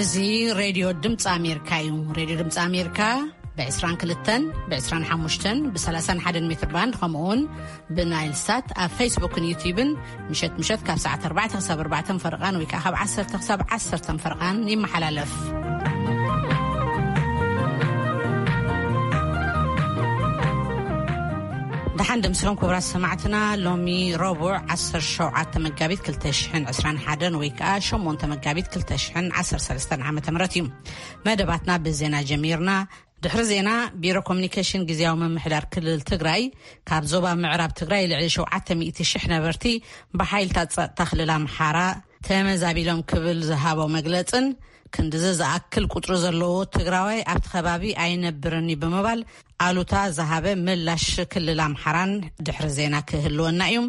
እዚ ሬድዮ ድምፂ ኣሜሪካ እዩ። ሬድዮ ድምፂ ኣሜሪካ ብ22፣ ብ25፣ ብ31 ሜትር ባንድ፣ ከምኡውን ብናይል ሳት ኣብ ፌስቡክን ዩቲዩብን ምሸት ምሸት ካብ ሰዓት ኣርባዕተ ክሳብ ኣርባዕተ ፈረቓን ወይ ከዓ ካብ ዓሰርተ ክሳብ ዓሰርተ ፈረቓን ይመሓላለፍ። ደሓን ደምሲኹም ክቡራት ሰማዕትና። ሎሚ ረቡዕ ዓሰርተ ሸውዓተ መጋቢት ክልተ ሽሕን ዕስራን ሓደን ወይ ከዓ ሸሞንተ መጋቢት ክልተ ሽሕን ዓሰርተ ሰለስተን ዓመተ ምህረት እዩ። መደባትና ብዜና ጀሚርና። ድሕሪ ዜና፣ ቢሮ ኮሚኒኬሽን ግዝያዊ ምምሕዳር ክልል ትግራይ ካብ ዞባ ምዕራብ ትግራይ ልዕሊ ሸውዓተ ሚእቲ ሽሕ ነበርቲ ብሓይልታት ጸጥታ ክልል ኣምሓራ ተመዛቢሎም ክብል ዝሃቦ መግለጽን፣ ክንድዚ ዝኣክል ቁጽሪ ዘለዎ ትግራዋይ ኣብቲ ከባቢ ኣይነብርን እዩ ብምባል ኣሉታ ዝሃበ ምላሽ ክልል ኣምሓራን ድሕሪ ዜና ክህልወና እዩ።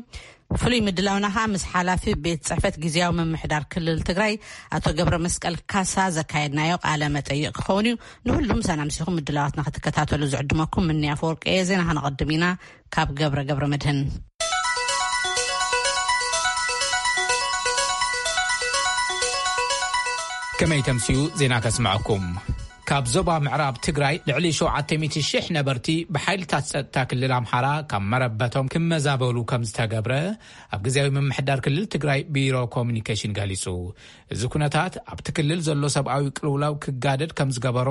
ፍሉይ ምድላውና ኸኣ ምስ ሓላፊ ቤት ጽሕፈት ግዝያዊ ምምሕዳር ክልል ትግራይ ኣቶ ገብረ መስቀል ካሳ ዘካየድናዮ ቃለ መጠይቕ ክኸውን እዩ። ንሁሉም ሰላም ሲኹም ምድላዋትና ክትከታተሉ ዝዕድመኩም ምንያ ኣፈወርቂ እየ። ዜና ከነቐድም ኢና ካብ ገብረ ገብረ መድህን። ከመይ ተምስዩ ዜና ከስምዐኩም። ካብ ዞባ ምዕራብ ትግራይ ልዕሊ ሸውዓተ ሚእቲ ሽሕ ነበርቲ ብሓይልታት ጸጥታ ክልል ኣምሓራ ካብ መረበቶም ክመዛበሉ ከም ዝተገብረ ኣብ ግዝያዊ ምምሕዳር ክልል ትግራይ ቢሮ ኮሚኒኬሽን ገሊጹ። እዚ ኩነታት ኣብቲ ክልል ዘሎ ሰብኣዊ ቅልውላው ክጋደድ ከም ዝገበሮ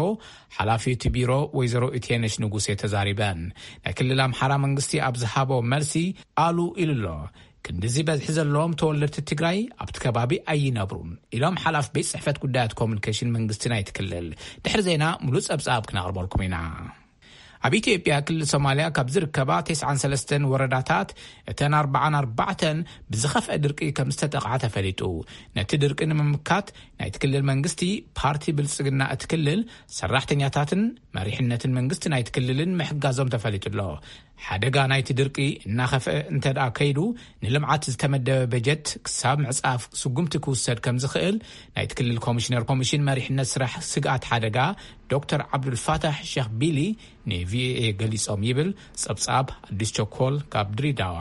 ሓላፊ እቲ ቢሮ ወይዘሮ ኢቴነሽ ንጉሴ ተዛሪበን። ናይ ክልል ኣምሓራ መንግስቲ ኣብ ዝሃቦ መልሲ ኣሉ ኢሉ ኣሎ። ክንድዚ በዝሒ ዘለዎም ተወለድቲ ትግራይ ኣብቲ ከባቢ ኣይነብሩን ኢሎም ሓላፊ ቤት ጽሕፈት ጉዳያት ኮሚኒኬሽን መንግስቲ ናይቲ ክልል። ድሕሪ ዜና ሙሉእ ጸብጻብ ክነቕርበልኩም ኢና። ኣብ ኢትዮጵያ ክልል ሶማልያ ካብ ዝርከባ ተስዓን ሰለስተን ወረዳታት እተን ኣርባዓን ኣርባዕተን ብዝኸፍአ ድርቂ ከም ዝተጠቕዓ ተፈሊጡ። ነቲ ድርቂ ንምምካት ናይቲ ክልል መንግስቲ፣ ፓርቲ ብልጽግና እቲ ክልል፣ ሰራሕተኛታትን መሪሕነትን መንግስቲ ናይቲ ክልልን ምሕጋዞም ተፈሊጡ ኣሎ። ሓደጋ ናይቲ ድርቂ እናኸፍአ እንተ ደኣ ከይዱ፣ ንልምዓት ዝተመደበ በጀት ክሳብ ምዕጻፍ ስጉምቲ ክውሰድ ከም ዝኽእል ናይቲ ክልል ኮሚሽነር ኮሚሽን መሪሕነት ስራሕ ስግኣት ሓደጋ ዶክተር ዓብዱልፋታሕ ሸኽ ቢሊ ንቪኦኤ ገሊጾም ይብል ጸብጻብ ኣዲስ ቸኮል ካብ ድሬዳዋ።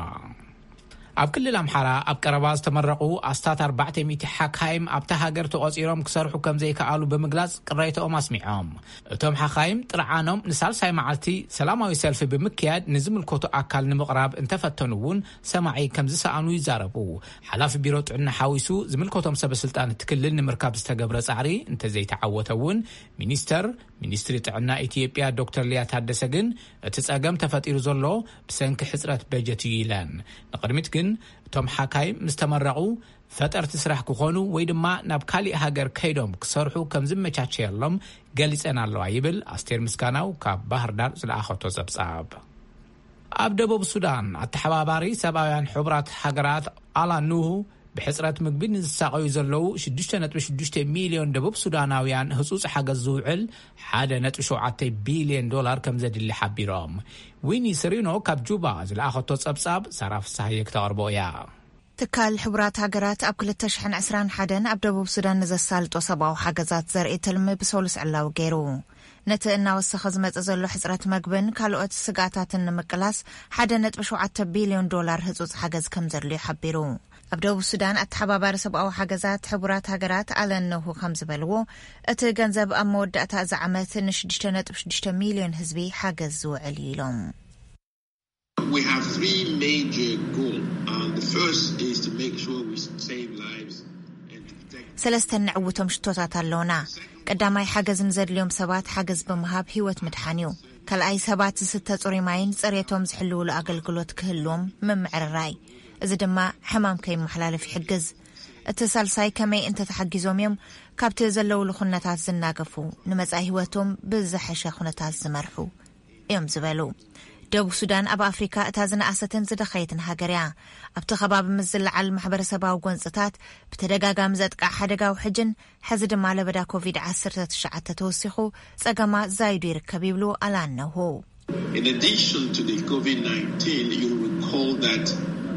ኣብ ክልል ኣምሓራ ኣብ ቀረባ ዝተመረቑ ኣስታት ኣርባዕተ ሚእቲ ሓካይም ኣብታ ሃገር ተቖጺሮም ክሰርሑ ከም ዘይከኣሉ ብምግላጽ ቅሬታኦም ኣስሚዖም። እቶም ሓኻይም ጥርዓኖም ንሳልሳይ መዓልቲ ሰላማዊ ሰልፊ ብምክያድ ንዝምልከቱ ኣካል ንምቕራብ እንተፈተኑ እውን ሰማዒ ከም ዝሰኣኑ ይዛረቡ። ሓላፊ ቢሮ ጥዕና ሓዊሱ ዝምልከቶም ሰበ ስልጣን እቲ ክልል ንምርካብ ዝተገብረ ጻዕሪ እንተዘይተዓወተ እውን ሚኒስተር ሚኒስትሪ ጥዕና ኢትዮጵያ ዶክተር ሊያ ታደሰ ግን እቲ ጸገም ተፈጢሩ ዘሎ ብሰንኪ ሕጽረት በጀት እዩ ኢለን። ንቕድሚት ግን እቶም ሓካይም ምስ ተመረቑ ፈጠርቲ ስራሕ ክኾኑ ወይ ድማ ናብ ካሊእ ሃገር ከይዶም ክሰርሑ ከም ዝመቻቸየሎም ገሊጸን ኣለዋ ይብል ኣስቴር ምስጋናው ካብ ባህር ዳር ዝለኣኸቶ ጸብጻብ። ኣብ ደቡብ ሱዳን ኣተሓባባሪ ሰብኣውያን ሕቡራት ሃገራት ኣላን ኑሁ ብሕጽረት ምግቢ ንዝሳቐዩ ዘለዉ ሽዱሽተ ነጥቢ ሽዱሽተ ሚልዮን ደቡብ ሱዳናውያን ህጹጽ ሓገዝ ዝውዕል ሓደ ነጥቢ ሸውዓተ ቢልዮን ዶላር ከም ዘድሊ ሓቢሮም። ዊኒ ስሪኖ ካብ ጁባ ዝለኣኸቶ ጸብጻብ ሳራ ፍሳሃየ ክተቕርቦ እያ። ትካል ሕቡራት ሃገራት ኣብ ክልተ ሽሕን ዕስራን ሓደን ኣብ ደቡብ ሱዳን ንዘሳልጦ ሰብኣዊ ሓገዛት ዘርኢ ትልሚ ብሰሉስ ዕላዊ ገይሩ። ነቲ እናወሰኸ ዝመጽእ ዘሎ ሕጽረት መግብን ካልኦት ስግኣታትን ንምቅላስ ሓደ ነጥቢ ሸውዓተ ቢልዮን ዶላር ህጹጽ ሓገዝ ከም ዘድልዮ ሓቢሩ። ኣብ ደቡብ ሱዳን ኣተሓባባሪ ሰብኣዊ ሓገዛት ሕቡራት ሃገራት ኣለን ነሁ ከም ዝበልዎ፣ እቲ ገንዘብ ኣብ መወዳእታ እዚ ዓመት ንሽዱሽተ ነጥቢ ሽዱሽተ ሚልዮን ህዝቢ ሓገዝ ዝውዕል እዩ ኢሎም። We have three major goals. Um, the first is to make sure we save lives and to protect ሰለስተ ንዕውቶም ሽቶታት ኣለውና። ቀዳማይ፣ ሓገዝ ንዘድልዮም ሰባት ሓገዝ ብምሃብ ህይወት ምድሓን እዩ። ካልኣይ፣ ሰባት ዝስተ ጽሩይ ማይን ጽሬቶም ዝሕልውሉ ኣገልግሎት ክህልዎም ምምዕርራይ። እዚ ድማ ሕማም ከይመሓላለፍ ይሕግዝ። እቲ ሳልሳይ፣ ከመይ እንተተሓጊዞም እዮም ካብቲ ዘለውሉ ኩነታት ዝናገፉ፣ ንመጻኢ ህይወቶም ብዝሐሸ ኩነታት ዝመርሑ እዮም ዝበሉ። ደቡብ ሱዳን ኣብ ኣፍሪካ እታ ዝነኣሰትን ዝደኸየትን ሃገር እያ። ኣብቲ ከባቢ ምስ ዝለዓል ማሕበረሰባዊ ጎንፅታት፣ ብተደጋጋሚ ዘጥቃዕ ሓደጋ ውሕጅን ሕዚ ድማ ለበዳ ኮቪድ ዓሰርተ ትሽዓተ ተወሲኹ ጸገማ ዛይዱ ይርከብ ይብሉ ኣላነሁ። In addition to the COVID nineteen, you recall that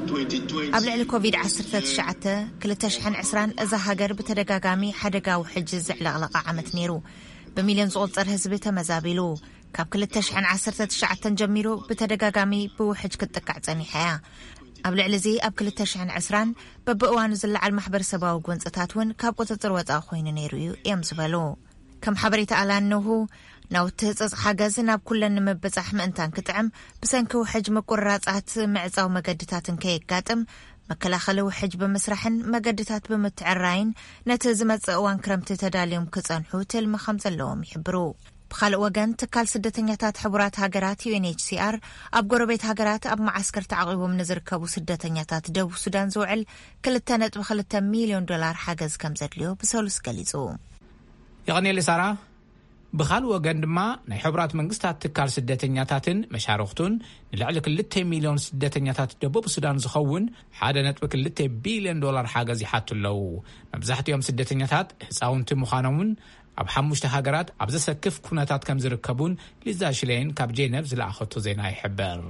twenty twenty ኣብ ልዕሊ ኮቪድ ዓሰርተ ትሽዓተ ክልተ ሽሕን ዕስራን እዛ ሃገር ብተደጋጋሚ ሓደጋ ውሕጅ ዘዕለቕለቐ ዓመት ነይሩ። ብሚልዮን ዝቑጸር ህዝቢ ተመዛቢሉ። ካብ ክልተ ሽሕን ዓሰርተ ትሽዓተን ጀሚሩ ብተደጋጋሚ ብውሕጅ ክትጥቃዕ ጸኒሓ እያ። ኣብ ልዕሊ እዚ ኣብ ክልተ ሽሕን ዕስራን በብእዋኑ ዝለዓል ማሕበረሰባዊ ጎንፅታት እውን ካብ ቁፅፅር ወፃኢ ኮይኑ ነይሩ እዩ እዮም ዝበሉ። ከም ሓበሬታ ኣላነሁ፣ ናውቲ ህፀፅ ሓገዝ ናብ ኩለን ንምብፃሕ ምእንታን ክጥዕም፣ ብሰንኪ ውሕጅ ምቁርራፃት ምዕፃው መገድታትን ከየጋጥም መከላኸሊ ውሕጅ ብምስራሕን መገድታት ብምትዕራይን ነቲ ዝመፅእ እዋን ክረምቲ ተዳልዮም ክፀንሑ ትልሚ ከም ዘለዎም ይሕብሩ። ብኻልእ ወገን፣ ትካል ስደተኛታት ሕቡራት ሃገራት ዩ ኤን ኤች ሲ ኣር ኣብ ጎረቤት ሃገራት ኣብ መዓስከር ተዓቂቦም ንዝርከቡ ስደተኛታት ደቡብ ሱዳን ዝውዕል ክልተ ነጥቢ ክልተ ሚልዮን ዶላር ሓገዝ ከም ዘድልዮ ብሰሉስ ገሊጹ። የቐኔል ሳራ። ብኻልእ ወገን ድማ፣ ናይ ሕቡራት መንግስታት ትካል ስደተኛታትን መሻርኽቱን ንልዕሊ ክልተ ሚልዮን ስደተኛታት ደቡብ ሱዳን ዝኸውን ሓደ ነጥቢ ክልተ ቢልዮን ዶላር ሓገዝ ይሓቱ ኣለዉ። መብዛሕትኦም ስደተኛታት ህፃውንቲ ምዃኖምን ኣብ ሓሙሽተ ሃገራት ኣብ ዘሰክፍ ኩነታት ከም ዝርከቡን ሊዛ ሽሌን ካብ ጄነቭ ዝለኣኸቶ ዜና ይሕብር።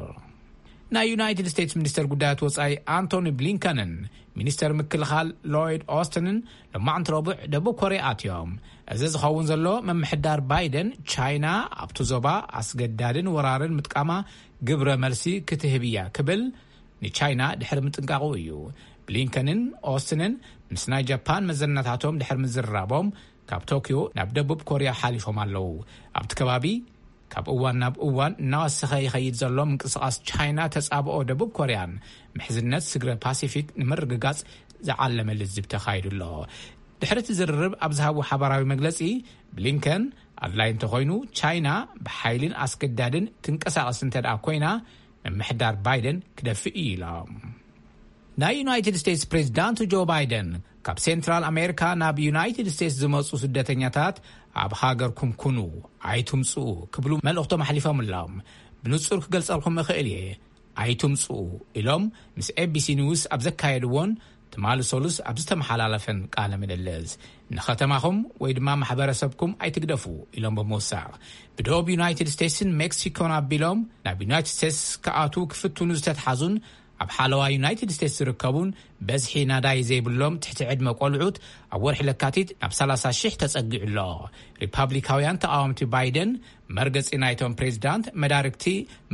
ናይ ዩናይትድ ስቴትስ ሚኒስተር ጉዳያት ወጻኢ ኣንቶኒ ብሊንከንን ሚኒስተር ምክልኻል ሎይድ ኦስትንን ሎማዕንቲ ረቡዕ ደቡብ ኮርያ ኣትዮም። እዚ ዝኸውን ዘሎ፣ ምምሕዳር ባይደን ቻይና ኣብቲ ዞባ ኣስገዳድን ወራርን ምጥቃማ ግብረ መልሲ ክትህብ እያ ክብል ንቻይና ድሕሪ ምጥንቃቑ እዩ። ብሊንከንን ኦስትንን ምስ ናይ ጃፓን መዘናታቶም ድሕሪ ምዝርራቦም፣ ካብ ቶኪዮ ናብ ደቡብ ኮርያ ሓሊፎም ኣለዉ። ኣብቲ ከባቢ ካብ እዋን ናብ እዋን እናወሰኸ ይኸይድ ዘሎ ምንቅስቓስ ቻይና፣ ተጻብኦ ደቡብ ኮርያን ምሕዝነት ስግረ ፓሲፊክ ንምርግጋጽ ዝዓለመ ልዝብ ተኻይዱ ኣሎ። ድሕሪ እቲ ዝርርብ ኣብ ዝሃቡ ሓባራዊ መግለጺ፣ ብሊንከን፣ ኣድላይ እንተኾይኑ፣ ቻይና ብሓይልን ኣስገዳድን ትንቀሳቐስ እንተ ደኣ ኮይና፣ ምምሕዳር ባይደን ክደፍእ እዩ ኢሎም። ናይ ዩናይትድ ስቴትስ ፕሬዚዳንት ጆ ባይደን፣ ካብ ሴንትራል ኣሜሪካ ናብ ዩናይትድ ስቴትስ ዝመጹ ስደተኛታት ኣብ ሃገርኩም ኩኑ፣ ኣይትምጽኡ ክብሉ መልእኽቶም ኣሕሊፎም ኣለዎም። ብንጹር ክገልጸልኩም እኽእል እየ፣ ኣይትምጽኡ ኢሎም ምስ ኤ ቢ ሲ ኒውስ ኣብ ዘካየድዎን ትማሊ ሰሉስ ኣብ ዝተመሓላለፈን ቃለ ምልልስ፣ ንኸተማኹም ወይ ድማ ማሕበረሰብኩም ኣይትግደፉ ኢሎም ብምውሳኽ፣ ብደቡብ ዩናይትድ ስቴትስን ሜክሲኮን ኣቢሎም ናብ ዩናይትድ ስቴትስ ክኣትዉ ክፍትኑ ዝተትሓዙን ኣብ ሓለዋ ዩናይትድ ስቴትስ ዝርከቡን በዝሒ ናዳይ ዘይብሎም ትሕቲ ዕድመ ቆልዑት ኣብ ወርሒ ለካቲት ናብ ሰላሳ ሽሕ ተጸጊዑ ኣሎ። ሪፓብሊካውያን ተቃወምቲ ባይደን፣ መርገጺ ናይቶም ፕሬዚዳንት መዳርግቲ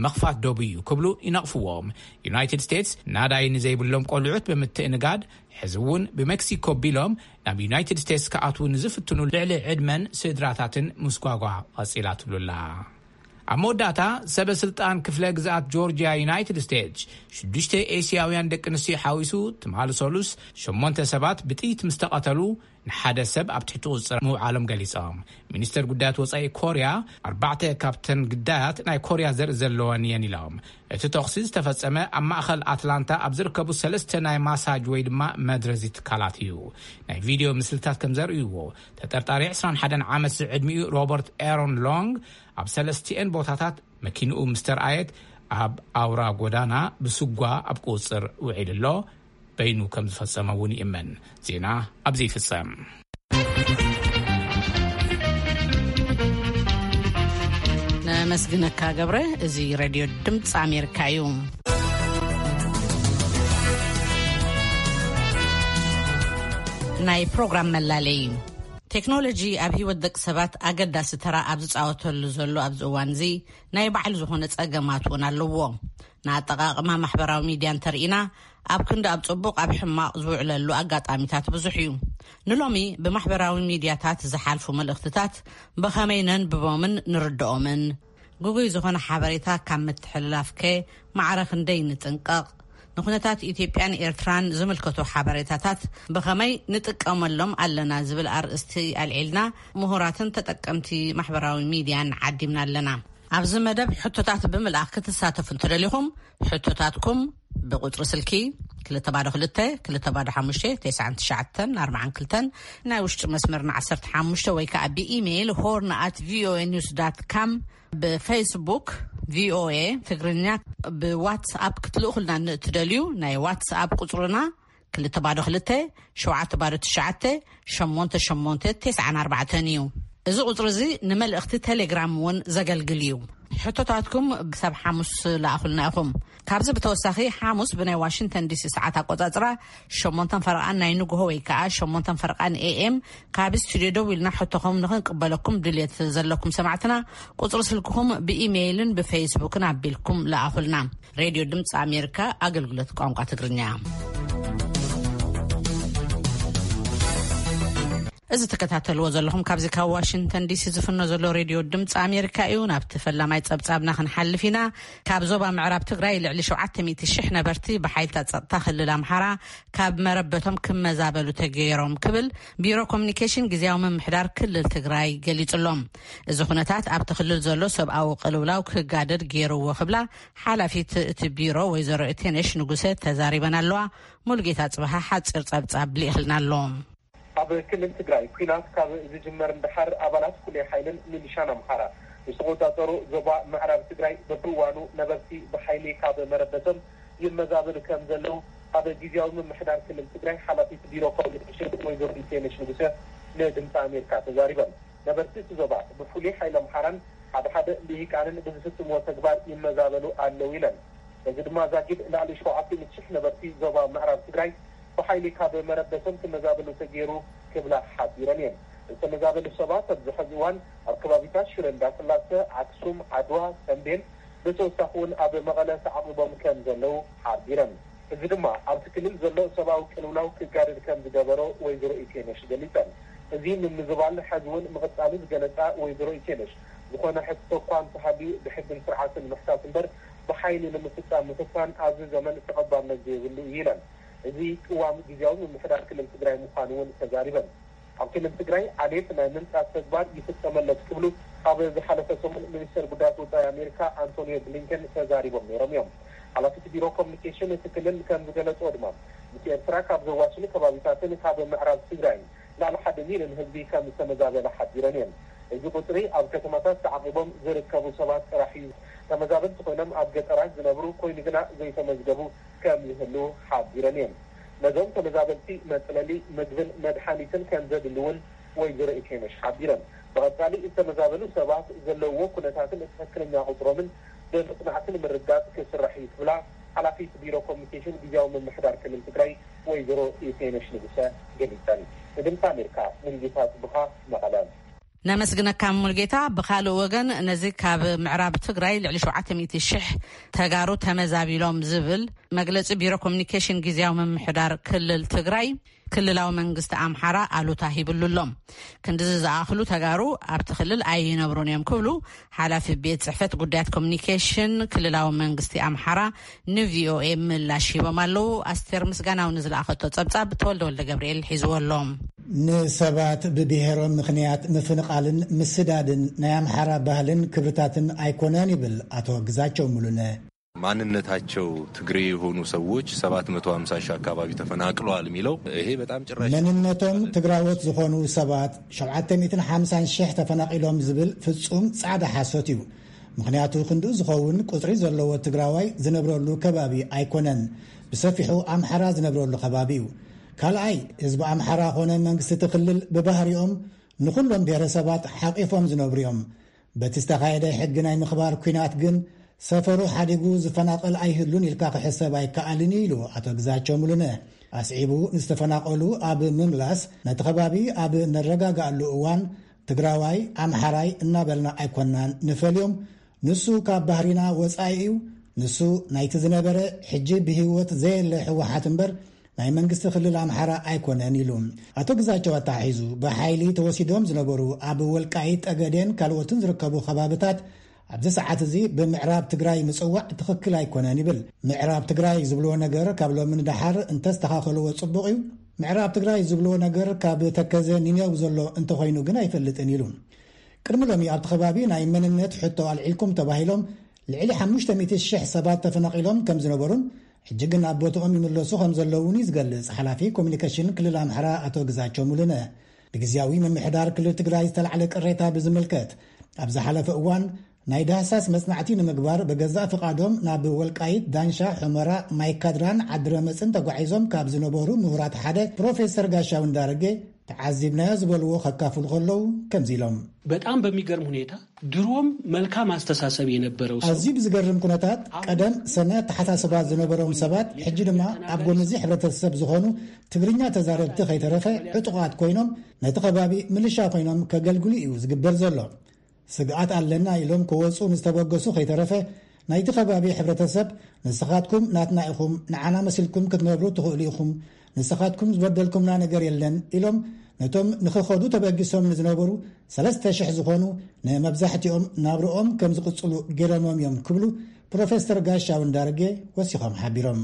ምኽፋት ዶብ እዩ ክብሉ ይነቕፍዎም። ዩናይትድ ስቴትስ ናዳይ ንዘይብሎም ቆልዑት ብምትእንጋድ፣ ሕዚ እውን ብሜክሲኮ ቢሎም ናብ ዩናይትድ ስቴትስ ክኣትዉ ንዝፍትኑ ልዕሊ ዕድመን ስድራታትን ምስጓጓ ቀጺላ ትብሉላ። ኣብ መወዳእታ፣ ሰበ ስልጣን ክፍለ ግዝኣት ጆርጂያ ዩናይትድ ስቴትስ፣ ሽዱሽተ ኤስያውያን ደቂ ኣንስትዮ ሓዊሱ ትማሊ ሰሉስ ሸሞንተ ሰባት ብጥይት ምስ ተቐተሉ፣ ንሓደ ሰብ ኣብ ትሕቲ ቁጽጽር ምውዓሎም ገሊጾም። ሚኒስተር ጉዳያት ወጻኢ ኮርያ፣ ኣርባዕተ ካብተን ግዳያት ናይ ኮርያ ዘርኢ ዘለወን እየን ኢሎም። እቲ ተኹሲ ዝተፈጸመ ኣብ ማእከል ኣትላንታ ኣብ ዝርከቡ ሰለስተ ናይ ማሳጅ ወይ ድማ መድረዚ ትካላት እዩ። ናይ ቪድዮ ምስልታት ከም ዘርእይዎ፣ ተጠርጣሪ ዕስራን ሓደን ዓመት ዝዕድሚኡ ሮበርት ኤሮን ሎንግ፣ ኣብ ሰለስቲኤን ቦታታት መኪንኡ ምስ ተርኣየት፣ ኣብ ኣውራ ጎዳና ብስጓ ኣብ ቁጽጽር ውዒሉ ኣሎ። በይኑ ከም ዝፈጸመ እውን ይእመን። ዜና ኣብዚ ይፍጸም። ነመስግነካ ገብረ። እዚ ሬድዮ ድምፂ ኣሜሪካ እዩ። ናይ ፕሮግራም መላለይ። ቴክኖሎጂ ኣብ ህይወት ደቂ ሰባት ኣገዳሲ ተራ ኣብ ዝፃወተሉ ዘሎ ኣብዚ እዋን እዚ፣ ናይ ባዕሉ ዝኾነ ጸገማት እውን ኣለዎ። ንኣጠቓቕማ ማሕበራዊ ሚድያ እንተርኢና፣ ኣብ ክንዲ ኣብ ጽቡቕ፣ ኣብ ሕማቕ ዝውዕለሉ ኣጋጣሚታት ብዙሕ እዩ። ንሎሚ ብማሕበራዊ ሚድያታት ዝሓልፉ መልእኽትታት ብኸመይ ነንብቦምን ንርድኦምን? ግጉይ ዝኾነ ሓበሬታ ካብ ምትሕልላፍከ ማዕረ ክንደይ ንጥንቀቕ? ንኩነታት ኢትዮጵያን ኤርትራን ዝምልከቱ ሓበሬታታት ብኸመይ ንጥቀመሎም ኣለና ዝብል ኣርእስቲ ኣልዒልና፣ ምሁራትን ተጠቀምቲ ማሕበራዊ ሚድያን ዓዲምና ኣለና። ኣብዚ መደብ ሕቶታት ብምልኣኽ ክትሳተፉ እንተደሊኹም፣ ሕቶታትኩም ብቁጽሪ ስልኪ ክልተ ባዶ ክልተ፣ ክልተ ባዶ ሓሙሽተ፣ ተስዓን ትሽዓተን ኣርባዓን ክልተን፣ ናይ ውሽጢ መስመርና ዓሰርተ ሓሙሽተ፣ ወይ ከኣ ብኢሜይል ሆርን ኣት ቪኦኤ ኒውስ ዳት ካም፣ ብፌስቡክ ቪኦኤ ትግርኛ፣ ብዋትስኣፕ ክትልእኹልና ንእትደልዩ፣ ናይ ዋትስኣፕ ቁጽርና ክልተ ባዶ ክልተ፣ ሸውዓተ ባዶ ትሽዓተ፣ ሸሞንተ ሸሞንተ፣ ተስዓን ኣርባዕተን እዩ። እዚ ቁጽሪ እዚ ንመልእኽቲ ቴሌግራም እውን ዘገልግል እዩ። ሕቶታትኩም ክሳብ ሓሙስ ለኣኹልና ኢኹም። ካብዚ ብተወሳኺ፣ ሓሙስ ብናይ ዋሽንግተን ዲሲ ሰዓት ኣቆጻጽራ ሸሞንተን ፈረቓን ናይ ንግሆ ወይ ከዓ ሸሞንተን ፈረቓን ኤ ኤም፣ ካብ ስቱድዮ ደው ኢልና ሕቶኹም ንኽንቅበለኩም ድልየት ዘለኩም ሰማዕትና፣ ቁጽሪ ስልክኹም ብኢሜይልን ብፌስቡክን ኣቢልኩም ለኣኹልና። ሬድዮ ድምፂ ኣሜሪካ፣ ኣገልግሎት ቋንቋ ትግርኛ። እዚ ትከታተልዎ ዘለኹም ካብዚ ካብ ዋሽንግተን ዲሲ ዝፍኖ ዘሎ ሬድዮ ድምፂ ኣሜሪካ እዩ። ናብቲ ፈላማይ ጸብጻብና ክንሓልፍ ኢና። ካብ ዞባ ምዕራብ ትግራይ ልዕሊ ሸውዓተ ሚእቲ ሽሕ ነበርቲ ብሓይልታት ጸጥታ ክልል ኣምሓራ ካብ መረበቶም ክመዛበሉ ተገይሮም ክብል ቢሮ ኮሚኒኬሽን ግዝያዊ ምምሕዳር ክልል ትግራይ ገሊጹ ኣሎ። እዚ ኩነታት ኣብቲ ክልል ዘሎ ሰብኣዊ ቅልውላው ክጋደድ ገይርዎ ክብላ ሓላፊት እቲ ቢሮ ወይዘሮ እቴነሽ ንጉሰ ተዛሪበን ኣለዋ። ሙሉጌታ ጽበሃ ሓጺር ጸብጻብ ልኢኽልና ኣሎ። ኣብ ክልል ትግራይ ኲናት ካብ ዝጅመር ንደሓር፣ ኣባላት ፍሉይ ሓይልን ሚሊሻን ኣምሓራ ዝተቖጻጸሩ ዞባ ምዕራብ ትግራይ በብእዋኑ ነበርቲ ብሓይሊ ካብ መረበቶም ይመዛበሉ ከም ዘለዉ ኣብ ግዝያዊ ምምሕዳር ክልል ትግራይ ሓላፊት ቢሮ ኮሚኒኬሽን ወይዘሮ ኢቴነሽ ንጉሰ ንድምፂ ኣሜሪካ ተዛሪበን። ነበርቲ እቲ ዞባ ብፍሉይ ሓይሊ ኣምሓራን ሓደ ሓደ ልሂቃንን ብዝፍጽምዎ ተግባር ይመዛበሉ ኣለዉ ኢለን። እዚ ድማ ዛጊድ ልዕሊ ሸውዓተ ሚእቲ ሽሕ ነበርቲ ዞባ ምዕራብ ትግራይ ብሓይሊ ካብ መረበቶም ክመዛበሉ ተገይሩ ክብላ ሓቢረን እየን። ዝተመዛበሉ ሰባት ኣብዚ ሕዚ እዋን ኣብ ከባቢታት ሽረ እንዳስላሰ፣ ኣክሱም፣ ዓድዋ፣ ተምቤን፣ ብተወሳኺ እውን ኣብ መቐለ ተዓቂቦም ከም ዘለዉ ሓቢረን። እዚ ድማ ኣብቲ ክልል ዘሎ ሰብኣዊ ቅልውላው ክጋደድ ከም ዝገበሮ ወይዘሮ ኢቴነሽ ገሊጸን። እዚ ምምዝባል ሕዚ እውን ምቕጻሉ ዝገለጻ ወይዘሮ ኢቴነሽ፣ ዝኾነ ሕቶ እኳ እንተሃልዩ ብሕግን ስርዓትን ምሕታት እምበር ብሓይሊ ንምፍጻም ምፍታን ኣብዚ ዘመን ተቐባልነት ዘይብሉ እዩ ኢለን። እዚ ቅዋም ግዝያዊ ምምሕዳር ክልል ትግራይ ምዃኑ እውን ተዛሪበን። ኣብ ክልል ትግራይ ዓሌት ናይ ምንጻት ተግባር ይፍጸመለት ክብሉ ኣብ ዝሓለፈ ሰሙን ሚኒስተር ጉዳያት ወጻኢ ኣሜሪካ ኣንቶኒዮ ብሊንከን ተዛሪቦም ነይሮም እዮም። ሓላፊት ቢሮ ኮሚኒኬሽን እቲ ክልል ከም ዝገለጽዎ ድማ፣ ምስ ኤርትራ ካብ ዘዋስኑ ከባቢታትን ካብ ምዕራብ ትግራይን ልዕሊ ሓደ ሚልዮን ህዝቢ ከም ዝተመዛበለ ሓቢረን እየን። እዚ ቁጽሪ ኣብ ከተማታት ተዓቂቦም ዝርከቡ ሰባት ጥራሕ እዩ። ተመዛበልቲ ኮይኖም ኣብ ገጠራት ዝነብሩ ኮይኑ ግና ዘይተመዝገቡ ከም ዝህልዉ ሓቢረን እየን። ነዞም ተመዛበልቲ መጽለሊ፣ ምግብን መድሓኒትን ከም ዘድሊ እውን ወይዘሮ ኢቴነሽ ሓቢረን። ብቐጻሊ ዝተመዛበሉ ሰባት ዘለውዎ ኩነታትን ትኽክለኛ ቁጽሮምን ብምጽናዕቲ ንምርጋጽ ክስራሕ እዩ ክብላ ሓላፊት ቢሮ ኮሚኒኬሽን ግዝያዊ ምምሕዳር ክልል ትግራይ ወይዘሮ ኢቴነሽ ንጉሰ ገሊጸን። ንድምፂ ኣሜሪካ ሙሉጌታ ጽብሃ፣ መቐለ። ነመስግነካ ሙሉጌታ። ብኻልእ ወገን፣ ነዚ ካብ ምዕራብ ትግራይ ልዕሊ ሸውዓተ ሚእቲ ሽሕ ተጋሩ ተመዛቢሎም ዝብል መግለጺ ቢሮ ኮሚኒኬሽን ግዝያዊ ምምሕዳር ክልል ትግራይ፣ ክልላዊ መንግስቲ ኣምሓራ ኣሉታ ሂብሉ ኣሎ። ክንድዚ ዝኣኽሉ ተጋሩ ኣብቲ ክልል ኣይነብሩን እዮም ክብሉ ሓላፊ ቤት ጽሕፈት ጉዳያት ኮሚኒኬሽን ክልላዊ መንግስቲ ኣምሓራ ንቪኦኤ ምላሽ ሂቦም ኣለዉ። ኣስቴር ምስጋናው ንዝለኣኸቶ ጸብጻብ ተወልደ ወልደ ገብርኤል ሒዝዎ ኣሎ። ንሰባት ብብሔሮም ምኽንያት ምፍንቓልን ምስዳድን ናይ ኣምሓራ ባህልን ክብርታትን ኣይኮነን ይብል ኣቶ ግዛቸው ሙሉነ። ማንነታቸው ትግሬ የሆኑ ሰዎች ሰባት መቶ ሃምሳ ሺህ አካባቢ ተፈናቅለዋል የሚለው ይሄ በጣም ጭራሽ መንነቶም ትግራዎት ዝኾኑ ሰባት ሸውዓተ ሚእትን ሓምሳን ሽሕ ተፈናቒሎም ዝብል ፍጹም ጻዕዳ ሓሶት እዩ። ምኽንያቱ ክንድኡ ዝኸውን ቁጽሪ ዘለዎ ትግራዋይ ዝነብረሉ ከባቢ ኣይኮነን። ብሰፊሑ ኣምሓራ ዝነብረሉ ከባቢ እዩ። ካልኣይ፣ ህዝቢ ኣምሓራ ኾነ መንግስቲ እቲ ክልል ብባህሪኦም ንኹሎም ብሔረሰባት ሓቂፎም ዝነብሩ እዮም። በቲ ዝተኻየደ ሕጊ ናይ ምኽባር ኲናት ግን ሰፈሩ ሓዲጉ ዝፈናቐል ኣይህሉን ኢልካ ክሕሰብ ኣይከኣልን እዩ ኢሉ ኣቶ ግዛቸው ሙሉነ። ኣስዒቡ ንዝተፈናቐሉ ኣብ ምምላስ ነቲ ከባቢ ኣብ ነረጋግኣሉ እዋን ትግራዋይ፣ ኣምሓራይ እናበልና ኣይኮናን ንፈልዮም። ንሱ ካብ ባህሪና ወጻኢ እዩ። ንሱ ናይቲ ዝነበረ ሕጂ ብህይወት ዘየለ ህወሓት እምበር ናይ መንግስቲ ክልል ኣምሓራ ኣይኮነን ኢሉ። ኣቶ ግዛቸው ኣተሓሒዙ ብሓይሊ ተወሲዶም ዝነበሩ ኣብ ወልቃይት ጠገዴን ካልኦትን ዝርከቡ ከባብታት ኣብዚ ሰዓት እዚ ብምዕራብ ትግራይ ምጽዋዕ ትኽክል ኣይኮነን ይብል። ምዕራብ ትግራይ ዝብልዎ ነገር ካብ ሎሚ ንደሓር እንተስተኻኸልዎ ጽቡቕ እዩ። ምዕራብ ትግራይ ዝብልዎ ነገር ካብ ተከዘ ኒኔው ዘሎ እንተኾይኑ ግን ኣይፈልጥን ኢሉ። ቅድሚ ሎሚ ኣብቲ ከባቢ ናይ መንነት ሕቶ ኣልዒልኩም ተባሂሎም ልዕሊ ሓሙሽተ ሚእቲ ሽሕ ሰባት ተፈናቒሎም ከም ዝነበሩን ሕጂ ግን ኣብ ቦትኦም ይምለሱ ከም ዘለውን እዩ ዝገልጽ ሓላፊ ኮሚኒኬሽን ክልል ኣምሓራ ኣቶ ግዛቸው ሙሉነ። ብግዝያዊ ምምሕዳር ክልል ትግራይ ዝተላዕለ ቅሬታ ብዝምልከት፣ ኣብ ዝሓለፈ እዋን ናይ ዳህሳስ መጽናዕቲ ንምግባር ብገዛእ ፍቓዶም ናብ ወልቃይት፣ ዳንሻ፣ ሑመራ፣ ማይካድራን ዓድረመጽን ተጓዒዞም ካብ ዝነበሩ ምሁራት ሓደ ፕሮፌሰር ጋሻው እንዳረጌ ዓዚብናዮ ዝበልዎ ከካፍሉ ከለዉ ከምዚ ኢሎም። በጣም በሚገርም ሁኔታ ድሮም መልካም አስተሳሰብ የነበረው ሰው ኣዝዩ ብዝገርም ኩነታት ቀደም ሰናይ ኣተሓሳስባ ዝነበሮም ሰባት ሕጂ ድማ ኣብ ጎንዚ ሕብረተሰብ ዝኾኑ ትግርኛ ተዛረብቲ ከይተረፈ ዕጡቓት ኮይኖም ነቲ ከባቢ ምልሻ ኮይኖም ከገልግሉ እዩ ዝግበር ዘሎ። ስግኣት ኣለና ኢሎም ክወፁ ንዝተበገሱ ከይተረፈ ናይቲ ከባቢ ሕብረተሰብ ንስኻትኩም ናትና ኢኹም፣ ንዓና መሲልኩም ክትነብሩ ትኽእሉ ኢኹም፣ ንስኻትኩም ዝበደልኩምና ነገር የለን ኢሎም ነቶም ንኽኸዱ ተበጊሶም ንዝነበሩ ሰለስተ ሽሕ ዝኾኑ ንመብዛሕትኦም ናብርኦም ከም ዝቕፅሉ ገይሮሞም እዮም ክብሉ ፕሮፌሰር ጋሻው እንዳርጌ ወሲኾም ሓቢሮም።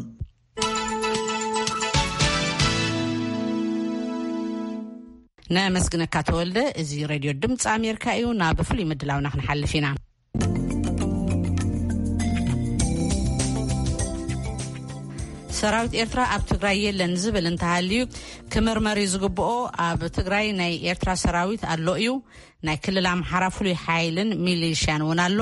ነመስግነካ ተወልደ። እዚ ሬድዮ ድምፂ ኣሜሪካ እዩ። ናብ ፍሉይ ምድላውና ክንሓልፍ ኢና። ሰራዊት ኤርትራ ኣብ ትግራይ የለን ዝብል እንተሃልዩ ክምርመር እዩ ዝግብኦ። ኣብ ትግራይ ናይ ኤርትራ ሰራዊት ኣሎ እዩ። ናይ ክልል ኣምሓራ ፍሉይ ሓይልን ሚሊሽያን እውን ኣሎ።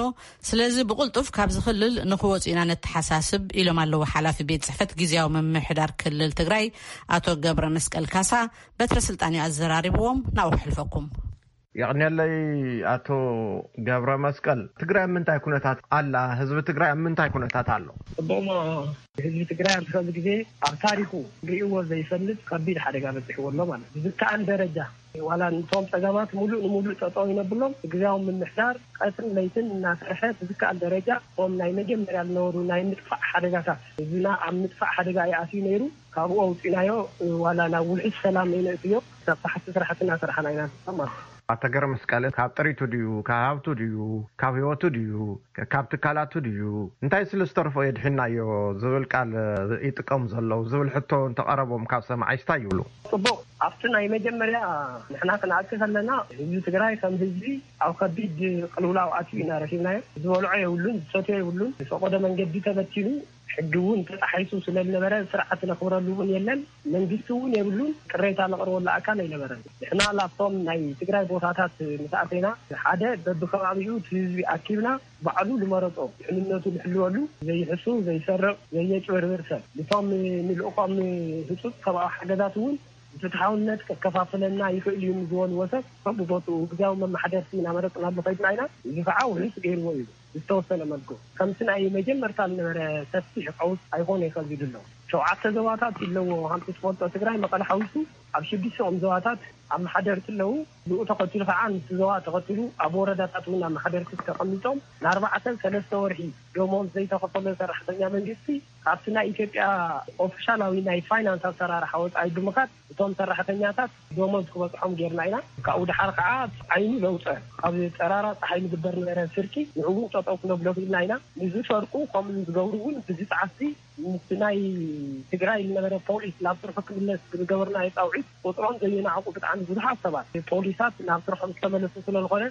ስለዚ ብቕልጡፍ ካብዚ ክልል ንክወፁ ኢና ነተሓሳስብ ኢሎም ኣለዉ ሓላፊ ቤት ፅሕፈት ግዜያዊ ምምሕዳር ክልል ትግራይ ኣቶ ገብረ መስቀል ካሳ። በትረ ስልጣን እዩ ኣዘራሪብዎም። ናብኡ ክሕልፈኩም። የቕንየለይ ኣቶ ገብረ መስቀል። ትግራይ ኣብ ምንታይ ኩነታት ኣላ? ህዝቢ ትግራይ ኣብ ምንታይ ኩነታት ኣሎ? ጽቡቕሞ ህዝቢ ትግራይ ኣብዚ ሕዚ ግዜ ኣብ ታሪኹ ርእይዎ ዘይፈልጥ ከቢድ ሓደጋ በፂሕዎ ኣሎ ማለት እዩ። ብዝከኣል ደረጃ ዋላ ንቶም ፀገማት ሙሉእ ንሙሉእ ጠጠው ይነብሎም ግዜያዊ ምምሕዳር ቀትርን ለይትን እናሰርሐ ብዝከኣል ደረጃ እቶም ናይ መጀመርያ ዝነበሩ ናይ ምጥፋእ ሓደጋታት ህዝብና ኣብ ምጥፋእ ሓደጋ ይኣትዩ ነይሩ። ካብኡ ኣውፂናዮ ዋላ ናብ ውሕስ ሰላም ነይነእትዮ ክሳብ ታሕቲ ስራሕቲ እናሰራሕና ኢና ንርከብ ማለት እዩ። ኣቶ ገረመስቀል ካብ ጥሪቱ ድዩ ካብ ሃብቱ ድዩ ካብ ህይወቱ ድዩ ካብ ትካላቱ ድዩ እንታይ ስለ ዝተርፎ የድሒናዮ ዝብል ቃል ይጥቀሙ ዘለዉ ዝብል ሕቶ እንተቐረቦም ካብ ሰማዓይ እንታይ ይብሉ? ጽቡቕ ኣብቲ ናይ መጀመርያ ንሕና ክንኣቲ ከለና ህዝቢ ትግራይ ከም ህዝቢ ኣብ ከቢድ ቅልውላው ኣትዩ ኢና ረኺብናዮ። ዝበልዖ የብሉን ዝሰትዮ የብሉን ዝፈቐዶ መንገዲ ተበቲኑ ሕጊ እውን ተጣሒሱ ስለ ዝነበረ ስርዓት ነኽብረሉ እውን የለን። መንግስቲ እውን የብሉን። ቅሬታ ነቕርበሉ ኣካል ኣይነበረን። ንሕና ላብቶም ናይ ትግራይ ቦታታት ምስ ኣተና ሓደ በብከባቢኡ እቲ ህዝቢ ኣኪብና ባዕሉ ዝመረፆ ድሕንነቱ ዝሕልወሉ ዘይሕሱ ዘይሰርቕ ዘየጭበርብር ሰብ ንቶም ንልእኾም ህፁፅ ሰብኣዊ ሓገዛት እውን ብፍትሓውነት ከከፋፍለና ይኽእል እዩ ንዝበልዎ ሰብ ከም ብቦትኡ ግዜያዊ መመሓደርቲ እናመረፅናሉ ከይድና ኢና። እዚ ከዓ ውሕስ ገይርዎ እዩ። ዝተወሰነ መልክዑ ከምቲ ናይ መጀመርታ ዝነበረ ሰፊሕ ቀውስ ኣይኮነ ከዚ ድሎ ሸውዓተ ዞባታት ኣለዎ። ከምቲ ትፈልጦ ትግራይ መቐለ ሓዊሱ ኣብ ሽዱሽተኦም ዞባታት ኣመሓደርቲ ኣለዉ። ብኡ ተኸቲሉ ከዓ ምስቲ ዞባ ተኸቲሉ ኣብ ወረዳታት እውን ኣመሓደርቲ ተቐሚጦም ንኣርባዕተ ሰለስተ ወርሒ ደሞዝ ዘይተኸፈሎ ሰራሕተኛ መንግስቲ ካብቲ ናይ ኢትዮጵያ ኦፊሻላዊ ናይ ፋይናንስ ኣሰራርሓ ወፃኢ ብምኻድ እቶም ሰራሕተኛታት ደሞዝ ክበፅሖም ጌርና ኢና። ካብኡ ደሓር ከዓ ዓይኑ ዘውፀ ኣብ ጠራራ ፀሓይ ዝግበር ነበረ ስርቂ ንዕውን ጠጠው ክነብሎ ክኢልና ኢና። ንዝሰርቁ ከምኡ ዝገብሩ እውን ብዝፃዓስቲ ምስቲ ናይ ትግራይ ዝነበረ ፖሊስ ናብ ስርሑ ክምለስ ብዝገበርናዮ ፃውዒት ቁፅሮም ዘየናዕቁ ብጣዕሚ ብዙሓት ሰባት ፖሊሳት ናብ ስርሖም ዝተመለሱ ስለዝኾነ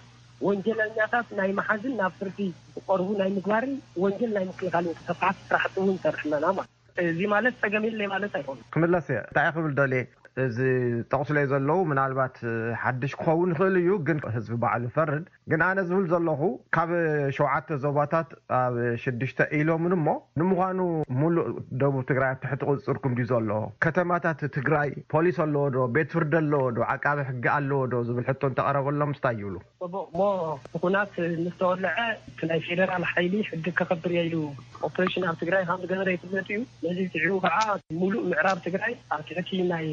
ወንጀለኛታት ናይ መሓዝን ናብ ፍርዲ ክቐርቡ ናይ ምግባርን ወንጀል ናይ ምክልኻልን ተስፋሕቲ ስራሕቲ እውን ይሰርሕ ኣለና ማለት እዩ። እዚ ማለት ፀገም የለይ ማለት ኣይኮነን። ክምለስ እየ እንታይ ክብል ደልየ እዚ ጠቕስለይ ዘለዉ ምናልባት ሓድሽ ክኸውን ይኽእል እዩ ግን ህዝቢ ባዕሉ ይፈርድ። ግን ኣነ ዝብል ዘለኹ ካብ ሸውዓተ ዞባታት ኣብ ሽዱሽተ ኢሎምን እሞ ንምዃኑ ሙሉእ ደቡብ ትግራይ ኣብ ትሕቲ ቁፅፅርኩም ድዩ ዘሎ? ከተማታት ትግራይ ፖሊስ ኣለዎ ዶ? ቤት ፍርዲ ኣለዎ ዶ? ዓቃቢ ሕጊ ኣለዎ ዶ? ዝብል ሕቶ እንተቐረበሎም እንታይ ይብሉ? ጽቡቕ እሞ እቲ ኩናት ምስ ተወልዐ እቲ ናይ ፌደራል ሓይሊ ሕጊ ከኸብር እየ ኢሉ ኦፕሬሽን ኣብ ትግራይ ከም ዝገበረ ይፍለጥ እዩ። ነዚ ስዒቡ ከዓ ሙሉእ ምዕራብ ትግራይ ኣብ ትሕቲ ናይ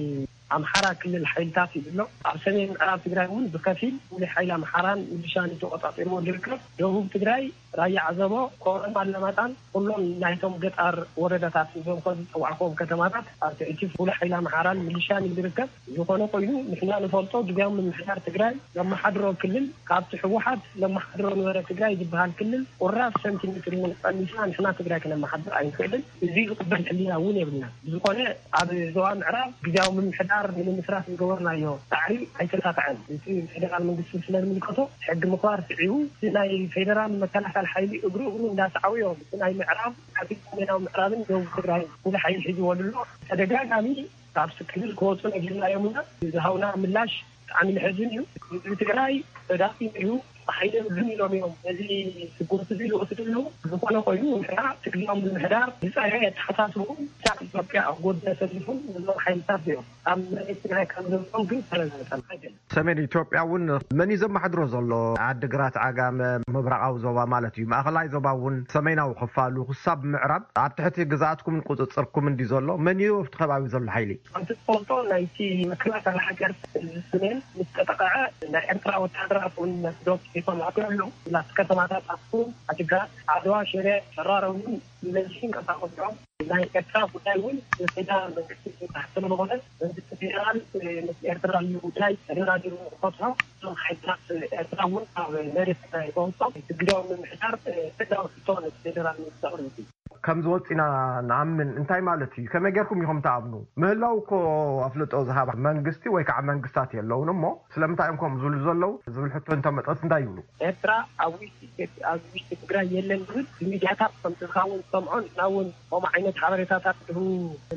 ኣምሓራ ክልል ሓይልታት እዩ ዘሎ። ኣብ ሰሜን ምዕራብ ትግራይ እውን ብከፊል ሙሉእ ሓይሊ ኣምሓራን ሚሊሻን እዩ ተቆፃፂርዎ ዝርከብ። ደቡብ ትግራይ ራያ ዓዘቦ፣ ኮረም ኣለማጣን ኩሎም ናይቶም ገጣር ወረዳታት ንዞም ከ ዝፀዋዕክዎም ከተማታት ኣብ ትሕቲ ሙሉእ ሓይሊ ኣምሓራን ሚሊሻን እዩ ዝርከብ። ዝኾነ ኮይኑ ንሕና ንፈልጦ ግዝያዊ ምምሕዳር ትግራይ ዘመሓድሮ ክልል ካብቲ ህወሓት ዘመሓድሮ ነበረ ትግራይ ዝበሃል ክልል ቁራብ ሰንቲሜትር እውን ቀኒስና ንሕና ትግራይ ክነመሓድር ኣይንኽእልን። እዚ ዝቕበል ሕሊና እውን የብልና። ብዝኾነ ኣብ ዞባ ምዕራብ ግዝያዊ ምምሕዳር ንምምስራት ዝገበርናዮ ፃዕሪ ኣይተሳኽዐን። እቲ ፌደራል መንግስቲ ስለ ዝምልከቶ ሕጊ ምኽባር ስዒቡ እቲ ናይ ፌደራል መከላኸል ሓይሊ እግሩ እግሩ እንዳሰዓቡ እዮም። እቲ ናይ ምዕራብ ዓቢ ሰሜናዊ ምዕራብን ደቡብ ትግራይ ሙሉ ሓይሊ ሒዝዎ ኣሎ። ተደጋጋሚ ካብ ክልል ክወፁ ነጊርናዮም ኢና። ዝሃውና ምላሽ ብጣዕሚ መሕዝን እዩ። ህዝቢ ትግራይ ተዳኺሙ እዩ። ሓይሊ ምን ኢሎም እዮም ነዚ ስጉምቲ እዚ ዝወስዱ ኣለዉ። ዝኾነ ኮይኑ ንሕና ትግርኛ ምምሕዳር ዝፀረ ኣተሓሳስቡ ሳብ ኢትዮጵያ ኣብ ጎድነ ሰሊፉ ነዞም ሓይልታት እዮም ኣብ መሬት ትግራይ ከም ዘለዎም ግን ተረጋገጠ ኣይደለም። ሰሜን ኢትዮጵያ እውን መን እዩ ዘማሕድሮ ዘሎ? ዓድግራት፣ ዓጋመ፣ ምብራቓዊ ዞባ ማለት እዩ፣ ማእኸላይ ዞባ እውን፣ ሰሜናዊ ክፋሉ ክሳብ ምዕራብ ኣብ ትሕቲ ግዝኣትኩምን ቁፅፅርኩምን ድዩ ዘሎ? መን እዩ ኣብቲ ከባቢ ዘሎ ሓይሊ? ከምቲ ትፈልጦ ናይቲ መከላከሊ ሃገር ሰሜን ምስ ተጠቕዐ ናይ ኤርትራ ወታደራት እውን ዶብ ሒዞም ኣትዮም ኣለዉ። ናብቲ ከተማታት ኣክሱም፣ ዓዲግራት፣ ዓድዋ፣ ሽረ፣ ሸራሮ እውን ብመንዚ ይንቀሳቐሱ እዮም። ናይ ኤርትራ ጉዳይ እውን ብፌደራል መንግስቲ ዝምራሕ ስለዝኾነ መንግስቲ ፌደራል ምስ ኤርትራ እዩ ጉዳይ ተደራዲሩ ንክፈትሖ እዞም ሓይልታት ኤርትራ እውን ካብ መሬት ትግራይ ከውፅኦም ግዳዊ ምምሕዳር ሕጋዊ ሕቶ ነቲ ፌደራል መንግስቲ ኣቕሪቡ። ከም ዝወፅ ኢና ንኣምን እንታይ ማለት እዩ? ከመይ ጌርኩም ኢኹም ትኣምኑ? ምህላው እኮ ኣፍልጦ ዝሃባ መንግስቲ ወይ ከዓ መንግስታት የለውን እሞ ስለምንታይ እዮም ከምኡ ዝብሉ ዘለዉ ዝብል ሕቶ እንተመፀስ እንታይ ይብሉ? ኤርትራ ኣብ ውሽጢ ኢትዮጵያ ኣብ ውሽጢ ትግራይ የለን ዝብል ብሚድያታት ከም ዝኸውን ዝሰምዖ ንሕና እውን ከምኡ ዓይነት ሓበሬታታት ዝህቡ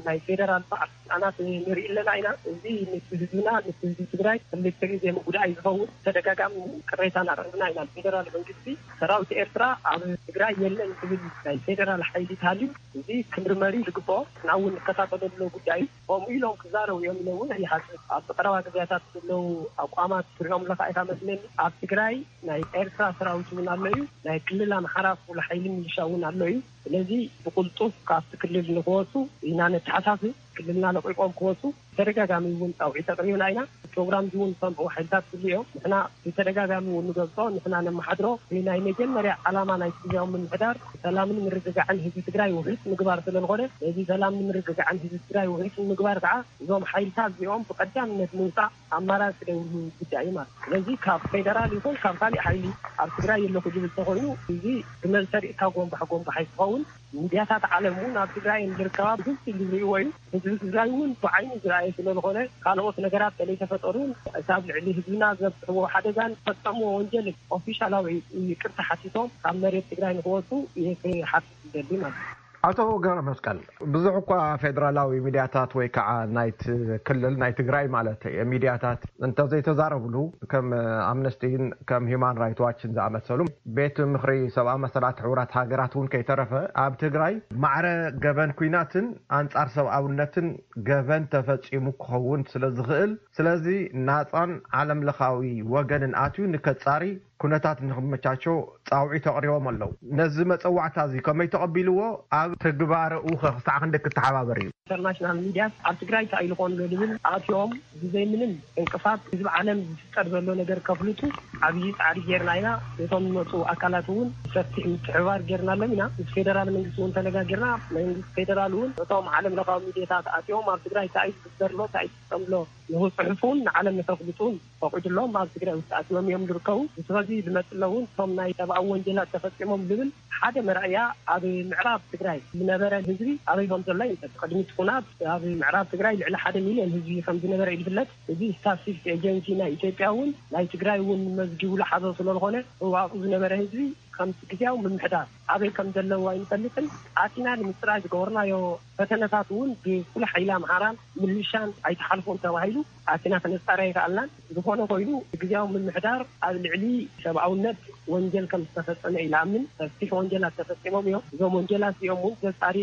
ናይ ፌደራል በዓል ስልጣናት ንርኢ ኣለና ኢና። እዚ ምስ ህዝብና ምስ ህዝቢ ትግራይ ክልተ ግዜ ምጉዳእ እዩ ዝኸውን። ተደጋጋሚ ቅሬታ እናቕረብና ኢና። ፌደራል መንግስቲ ሰራዊት ኤርትራ ኣብ ትግራይ የለን ዝብል ናይ ፌደራል ሓይሊ ተሃልዩ እዚ ክምርመር እዩ ዝግብኦ። ንሕና እውን ንከታተሎ ዘሎ ጉዳይ እዩ። ከምኡ ኢሎም ክዛረቡ እዮም ኢለ እውን ኣይሓስብ። ኣብቲ ቀረባ ግዜያታት ዘለዉ ኣቋማት ትሪኦም ኣለኻ ኢኻ መስለኒ። ኣብ ትግራይ ናይ ኤርትራ ሰራዊት እውን ኣሎ እዩ። ናይ ክልል ኣምሓራ ፍሉይ ሓይሊ ሚሊሻ እውን ኣሎ እዩ። ስለዚ ብቕልጡፍ ካብቲ ክልል ንክወፁ ኢና ነተሓሳስብ። ክልልና ለቒቖም ክወፁ ተደጋጋሚ እውን ፃውዒት ኣቕሪብና ኢና። ፕሮግራም እውን ዝሰምዑ ሓይልታት ክህሉ እዮም። ንሕና ብተደጋጋሚ እውን ንገልፆ፣ ንሕና ነመሓድሮ ናይ መጀመርያ ዓላማ ናይ ግዝያዊ ምምሕዳር ሰላምን ምርግጋዕን ህዝቢ ትግራይ ውሒጥ ምግባር ስለዝኾነ ነዚ ሰላምን ምርግጋዕን ህዝቢ ትግራይ ውሒጥ ንምግባር ከዓ እዞም ሓይልታት እዚኦም ብቀዳምነት ምውፃእ ኣማራፂ ዘይብሉ ጉዳይ እዩ ማለት እዩ። ስለዚ ካብ ፌደራል ይኹን ካብ ካሊእ ሓይሊ ኣብ ትግራይ የለኹ ዝብል ተኾይኑ እዚ ብመንሰሪእካ ጎንባሕ ጎንባሕ ኣይትኸውን። ሚድያታት ዓለም እውን ኣብ ትግራይ ዝርከባ ብግልፂ ዝርእይዎ እዩ። ህዝቢ ትግራይ እውን ብዓይኑ ዝረኣየ ስለዝኾነ ካልኦት ነገራት ተለይተፈጠሩ እውን እቲ ኣብ ልዕሊ ህዝብና ዘብፅሕዎ ሓደጋን ዝፈፀምዎ ወንጀል ኦፊሻላዊ ይቅርታ ሓቲቶም ካብ መሬት ትግራይ ንክወፁ ይሓትት ይደሊ ማለት እዩ። ኣቶ ገብረመስቀል፣ ብዙሕ እኳ ፌደራላዊ ሚድያታት ወይ ከዓ ናይቲ ክልል ናይ ትግራይ ማለት ሚድያታት እንተዘይተዛረብሉ፣ ከም ኣምነስቲን ከም ሂዩማን ራይት ዋችን ዝኣመሰሉ ቤት ምኽሪ ሰብኣዊ መሰላት ሕቡራት ሃገራት እውን ከይተረፈ ኣብ ትግራይ ማዕረ ገበን ኲናትን ኣንጻር ሰብኣውነትን ገበን ተፈጺሙ ክኸውን ስለ ዝኽእል፣ ስለዚ ናጻን ዓለምለኻዊ ወገንን ኣትዩ ንከጻሪ ኩነታት ንኽመቻቾ ጻውዒት ኣቕሪቦም ኣለዉ። ነዚ መጸዋዕታ እዚ ከመይ ተቐቢልዎ? ኣብ ትግባረኡኸ ክሳዕ ክንደይ ክተሓባበር እዩ? ኢንተርናሽናል ሚድያስ ኣብ ትግራይ እንታይ ኢሉ ኮንሎ ዝብል ኣትዮም ብዘይ ምንም ዕንቅፋት ህዝቢ ዓለም ዝፍጠር ዘሎ ነገር ከፍልጡ ዓብዪ ፃዕሪ ጌርና ኢና። ነቶም ዝመፁ ኣካላት እውን ሰፊሕ ምትሕብባር ጌርናሎም ኢና። ምስ ፌደራል መንግስቲ እውን ተነጋጊርና። መንግስቲ ፌደራል እውን ነቶም ዓለም ለኻዊ ሚድያታት ኣትዮም ኣብ ትግራይ እንታይ እዩ ዝግበር ኣሎ እንታይ እዩ ዝፍፀም ኣሎ ንክፅሕፉን ንዓለም ንከፍልጡን ፈቒዱሎም ኣብ ትግራይ ውሽጢ ኣትዮም እዮም ዝርከቡ። ስለዚ ዝመፅእ እውን እቶም ናይ ሰብኣዊ ወንጀላት ተፈፂሞም ዝብል ሓደ መርኣያ ኣብ ምዕራብ ትግራይ ዝነበረ ህዝቢ ኣበይ ከም ዘሎ ይንጠጥ። ቅድሚ እቲ ኩናት ኣብ ምዕራብ ትግራይ ልዕሊ ሓደ ሚልዮን ህዝቢ ከም ዝነበረ እዩ ዝፍለጥ። እዚ ስታትስቲክስ ኤጀንሲ ናይ ኢትዮጵያ እውን ናይ ትግራይ እውን መዝጊቡ ዝሓዞ ስለዝኾነ እዋኡ ዝነበረ ህዝቢ ከምቲ ግዜያዊ ምምሕዳር ኣበይ ከም ዘለዉ ኣይንፈልጥን። ኣቲና ንምፅራይ ዝገበርናዮ ፈተነታት እውን ብፍሉይ ሓይሊ ኣምሓራን ምልሻን ኣይተሓልፎን ተባሂሉ ኣቲና ከነፃሪ ኣይከኣልናን። ዝኾነ ኮይኑ ግዜያዊ ምምሕዳር ኣብ ልዕሊ ሰብኣውነት ወንጀል ከም ዝተፈፀመ እዩ ዝኣምን። ሰፊሕ ወንጀላት ተፈፂሞም እዮም። እዞም ወንጀላት እዚኦም እውን ዘፃሪ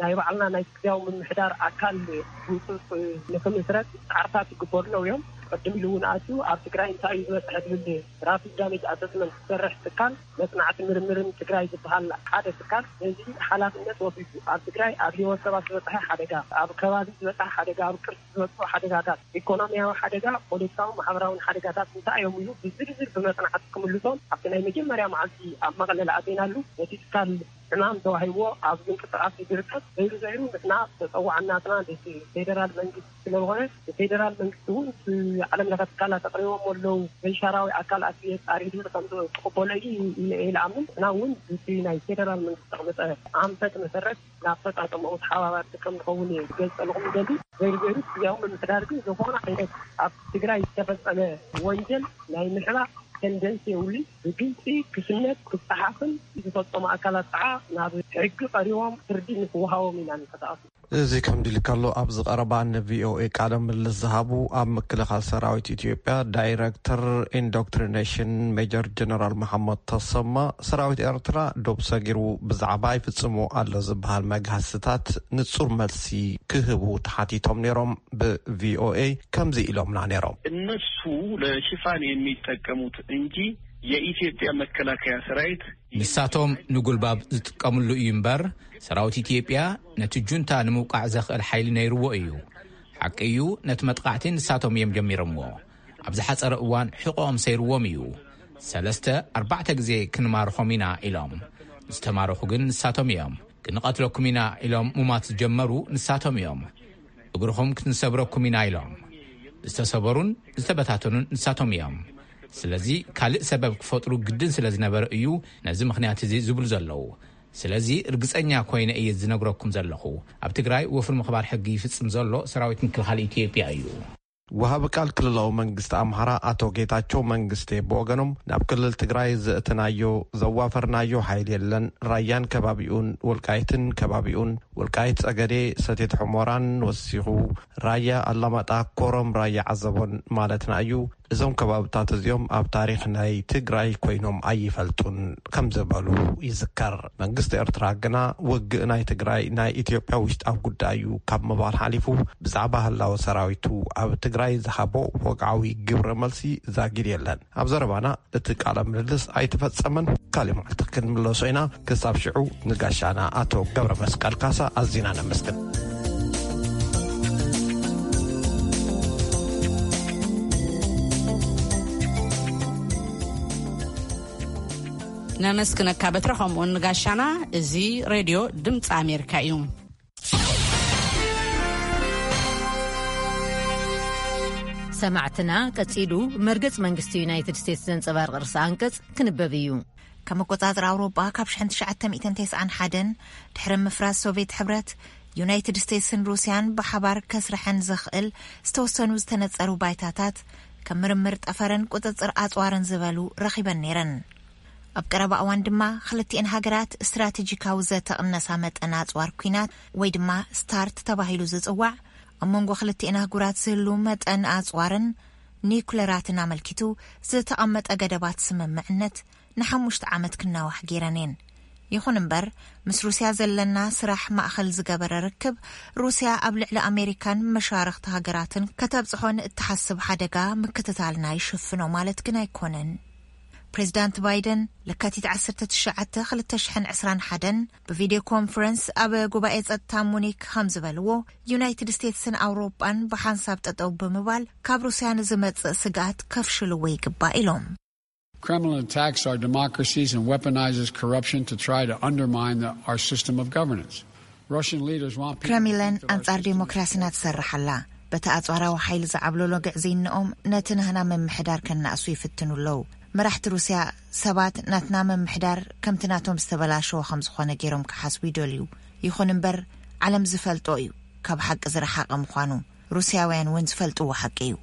ናይ ባዕልና ናይ ግዜያዊ ምምሕዳር ኣካል ህንፅፅ ንክምስረት ፃዕርታት ይግበሩ ኣለዉ እዮም። ቅድም ኢሉ እውን ኣትዩ ኣብ ትግራይ እንታይ እዩ ዝበፅሐ ዝብል ራፒድ ዳሜጅ ኣሰስመንት ዝሰርሕ ትካል መፅናዕቲ ምርምርን ትግራይ ዝበሃል ሓደ ትካል ነዚ ሓላፍነት ወሲዱ ኣብ ትግራይ ኣብ ህይወት ሰባት ዝበፅሐ ሓደጋ፣ ኣብ ከባቢ ዝበፅሐ ሓደጋ፣ ኣብ ቅርሲ ዝበፅሑ ሓደጋታት፣ ኢኮኖሚያዊ ሓደጋ፣ ፖለቲካውን ማሕበራውን ሓደጋታት እንታይ እዮም ኢሉ ብዝርዝር ብመፅናዕቲ ክምልሶም ኣብቲ ናይ መጀመርያ መዓልቲ ኣብ መቐለ ዝኣተይናሉ ነቲ ትካል ዕማም ተዋሂብዎ ኣብ ምንቅስቃስ እዩ ዝርከብ። ዘይሩ ዘይሩ ንሕና ተፀዋዕናትና ነቲ ፌደራል መንግስቲ ስለዝኾነ ንፌደራል መንግስቲ እውን እቲ ዓለም ለኸ ትካላት ኣቕሪቦም ኣለዉ። መንሻራዊ ኣካል ኣትዩ የፃሪ ዝብል ከም ዝቕበሎ እዩ ኢለ እየ ዝኣምን። ንሕና እውን እቲ ናይ ፌደራል መንግስቲ ዘቕመጠ ኣንፈት መሰረት ንኣፈፃፀምኡ ተሓባባርቲ ከም ንኸውን እየ ክገልፀልኹም ዝደሊ። ዘይሩ ዘይሩ ግዝያዊ ምምሕዳር ግን ዝኾነ ዓይነት ኣብ ትግራይ ዝተፈፀመ ወንጀል ናይ ምሕባእ ተንደንሲ የውሊ ብግልፂ ክስነት ክፀሓፍን ዝፈፀሙ ኣካላት ከዓ ናብ ሕጊ ቀሪቦም ፍርዲ ንክወሃቦም ኢና ንቀሳቀስ። እዚ ከም ድልካሎ ኣብዚ ቀረባ ን ቪኦኤ ቃለ ምልልስ ዝሃቡ ኣብ ምክልኻል ሰራዊት ኢትዮጵያ ዳይረክተር ኢንዶክትሪኔሽን ሜጀር ጀነራል መሓመድ ተሰማ፣ ሰራዊት ኤርትራ ዶብ ሰጊሩ ብዛዕባ ይፍጽሞ ኣሎ ዝበሃል መግሃስታት ንጹር መልሲ ክህቡ ተሓቲቶም ነይሮም። ብቪኦኤ ከምዚ ኢሎምና ነይሮም። እነሱ ለሽፋን የሚጠቀሙት እንጂ የኢትዮጵያ መከላከያ ሰራዊት ንሳቶም ንጉልባብ ዝጥቀምሉ እዩ እምበር፣ ሰራዊት ኢትዮጵያ ነቲ ጁንታ ንምውቃዕ ዘኽእል ሓይሊ ነይርዎ እዩ። ሓቂ እዩ፣ ነቲ መጥቓዕቲ ንሳቶም እዮም ጀሚሮምዎ። ኣብ ዝሓጸረ እዋን ሕቖኦም ሰይርዎም እዩ። ሰለስተ ኣርባዕተ ግዜ ክንማርኾም ኢና ኢሎም። ዝተማረኹ ግን ንሳቶም እዮም። ክንቐትለኩም ኢና ኢሎም ሙማት ዝጀመሩ ንሳቶም እዮም። እግርኹም ክንሰብረኩም ኢና ኢሎም። ዝተሰበሩን ዝተበታተኑን ንሳቶም እዮም። ስለዚ ካልእ ሰበብ ክፈጥሩ ግድን ስለ ዝነበረ እዩ ነዚ ምኽንያት እዚ ዝብሉ ዘለዉ። ስለዚ ርግጸኛ ኮይነ እየ ዝነግረኩም ዘለኹ። ኣብ ትግራይ ወፍሪ ምኽባር ሕጊ ይፍጽም ዘሎ ሰራዊት ምክልኻል ኢትዮጵያ እዩ። ወሃቢ ቃል ክልላዊ መንግስቲ ኣምሓራ ኣቶ ጌታቸው መንግስቴ ብወገኖም፣ ናብ ክልል ትግራይ ዘእተናዮ ዘዋፈርናዮ ሓይሊ የለን። ራያን ከባቢኡን ወልቃይትን ከባቢኡን፣ ወልቃይት ጸገዴ፣ ሰቲት ሑመራን ወሲኹ፣ ራያ ኣላማጣ፣ ኮረም፣ ራያ ዓዘቦን ማለትና እዩ። እዞም ከባብታት እዚኦም ኣብ ታሪኽ ናይ ትግራይ ኮይኖም ኣይፈልጡን ከም ዝበሉ ይዝከር። መንግስቲ ኤርትራ ግና ውግእ ናይ ትግራይ ናይ ኢትዮጵያ ውሽጣዊ ጉዳይ እዩ ካብ ምባል ሓሊፉ ብዛዕባ ህላወ ሰራዊቱ ኣብ ትግራይ ዝሃቦ ወግዓዊ ግብረ መልሲ ዛጊድ የለን። ኣብ ዘረባና እቲ ቃለ ምልልስ ኣይተፈጸመን። ካልእ መዓልቲ ክንምለሶ ኢና። ክሳብ ሽዑ ንጋሻና ኣቶ ገብረ መስቀል ካሳ ኣዚና ነመስግን። ነመስግነካ በትረ፣ ከምኡውን ንጋሻና። እዚ ሬድዮ ድምፂ ኣሜሪካ እዩ። ሰማዕትና፣ ቀጺሉ መርገጽ መንግስቲ ዩናይትድ ስቴትስ ዘንጸባርቕ ርእሰ ኣንቀጽ ክንበብ እዩ። ከም ኣቆጻጽራ ኣውሮጳ፣ ካብ ሽሕን ትሽዓተ ሚእትን ተስዓን ሓደን፣ ድሕሪ ምፍራስ ሶቪየት ሕብረት፣ ዩናይትድ ስቴትስን ሩስያን ብሓባር ከስርሐን ዘኽእል ዝተወሰኑ ዝተነጸሩ ባይታታት፣ ከም ምርምር ጠፈርን ቁጽጽር ኣጽዋርን ዝበሉ ረኺበን ነይረን። ኣብ ቀረባ እዋን ድማ፣ ክልቲኤን ሃገራት ስትራቴጂካዊ ዘተቕነሳ መጠን ኣጽዋር ኲናት፣ ወይ ድማ ስታርት ተባሂሉ ዝጽዋዕ፣ ኣብ መንጎ ክልቲኤን ኣህጉራት ዝህሉ መጠን ኣጽዋርን ኒኩለራትን ኣመልኪቱ ዝተቐመጠ ገደባት ስምምዕነት ንሓሙሽተ ዓመት ክናዋሕ ገይረን እየን። ይኹን እምበር፣ ምስ ሩስያ ዘለና ስራሕ ማእኸል ዝገበረ ርክብ፣ ሩስያ ኣብ ልዕሊ ኣሜሪካን መሻርኽቲ ሃገራትን ከተብጽሖ ንእትሓስብ ሓደጋ ምክትታልና ይሽፍኖ ማለት ግን ኣይኮነን። ፕሬዚዳንት ባይደን ለካቲት ዓሰርተ ትሽዓተ ክልተ ሽሕን ዕስራን ሓደን ብቪድዮ ኮንፈረንስ ኣብ ጉባኤ ጸጥታ ሙኒክ ከም ዝበልዎ፣ ዩናይትድ ስቴትስን ኣውሮጳን ብሓንሳብ ጠጠው ብምባል ካብ ሩስያ ንዝመጽእ ስግኣት ከፍሽልዎ ይግባእ ኢሎም። Kremlin attacks our democracies and weaponizes corruption to try to undermine the, our system of governance. Russian leaders want people to ክሬምሊን think that our ኣንጻር system is ዴሞክራሲና ትሰርሕ ኣላ። በቲ ኣጽዋራዊ ሓይሊ ዝዓብለሎ ግዕዝይንኦም ነቲ ናህና ምምሕዳር ከናእሱ ይፍትኑ ኣለዉ። መራሕቲ ሩስያ ሰባት ናትና ምምሕዳር ከምቲ ናቶም ዝተበላሸወ ከም ዝኾነ ገይሮም ክሓስቡ ይደልዩ። ይኹን እምበር፣ ዓለም ዝፈልጦ እዩ ካብ ሓቂ ዝረሓቐ ምዃኑ። ሩስያውያን እውን ዝፈልጥዎ ሓቂ እዩ።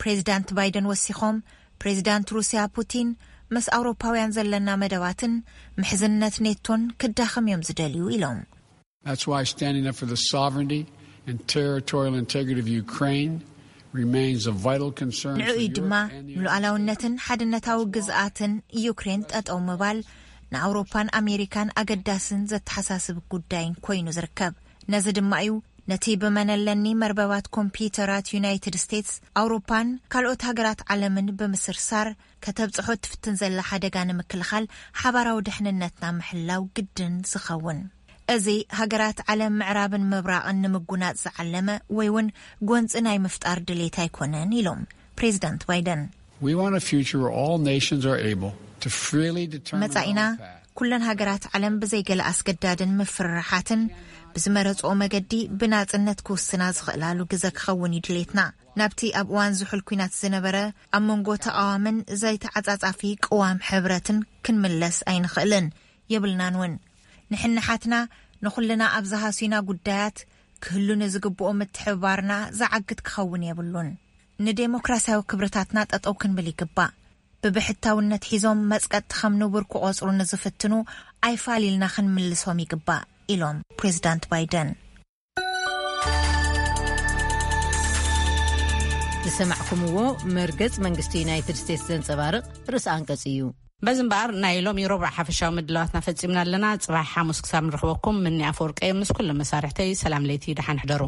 ፕሬዚዳንት ባይደን ወሲኾም፣ ፕሬዚዳንት ሩስያ ፑቲን፣ ምስ ኣውሮፓውያን ዘለና መደባትን ምሕዝነት ኔቶን ክዳኸም እዮም ዝደልዩ ኢሎም። That's why standing up for the sovereignty and territorial integrity of Ukraine remains a vital concern ንዕኡ for እዩ ድማ Europe and the United States. ንሉዓላውነትን ሓድነታዊ ግዝኣትን ዩክሬን ጠጠው ምባል ንኣውሮፓን ኣሜሪካን ኣገዳስን ዘተሓሳስብ ጉዳይን ኮይኑ ዝርከብ። ነዚ ድማ እዩ ነቲ ብመነለኒ መርበባት ኮምፒውተራት ዩናይትድ ስቴትስ፣ ኣውሮፓን ካልኦት ሃገራት ዓለምን ብምስርሳር ከተብጽሖ እትፍትን ዘላ ሓደጋ ንምክልኻል ሓባራዊ ድሕንነትና ምሕላው ግድን ዝኸውን። እዚ ሃገራት ዓለም ምዕራብን ምብራቕን ንምጉናጽ ዝዓለመ ወይ እውን ጎንጺ ናይ ምፍጣር ድሌት ኣይኮነን ኢሎም ፕሬዚዳንት ባይደን። We want a future where all nations are able to freely determine their መጻኢና own path. ኩለን ሃገራት ዓለም ብዘይገለ ኣስገዳድን ምፍርራሓትን ብዝመረጽኦ መገዲ ብናጽነት ክውስና ዝኽእላሉ ግዘ ክኸውን እዩ ድሌትና። ናብቲ ኣብ እዋን ዝሑል ኲናት ዝነበረ ኣብ መንጎ ተቓዋምን ዘይተዓጻጻፊ ቅዋም ሕብረትን ክንምለስ ኣይንኽእልን የብልናን እውን። ንሕንሓትና ንኹልና ኣብ ዝሃሱና ጉዳያት ክህሉ ንዝግብኦ ምትሕብባርና ዝዓግት ክኸውን የብሉን። ንዴሞክራሲያዊ ክብርታትና ጠጠው ክንብል ይግባእ። ብብሕታውነት ሒዞም መጽቀጥቲ ከም ንቡር ክቖጽሩ ንዝፍትኑ ኣይፋል ኢልና ክንምልሶም ይግባእ ኢሎም ፕሬዚዳንት ባይደን። ዝሰማዕኩምዎ መርገጽ መንግስቲ ዩናይትድ ስቴትስ ዘንጸባርቕ ርእሲ ኣንቀጽ እዩ። በዚ እምበኣር ናይ ሎሚ ረቡዕ ሓፈሻዊ ምድላዋትና ፈጺምና ኣለና። ጽባሕ ሓሙስ ክሳብ ንረኽበኩም ምኒ ኣፈወርቀ እየ ምስ ኩሎም መሳርሕተይ ሰላም ለይቲ ደሓን ሕደሩ።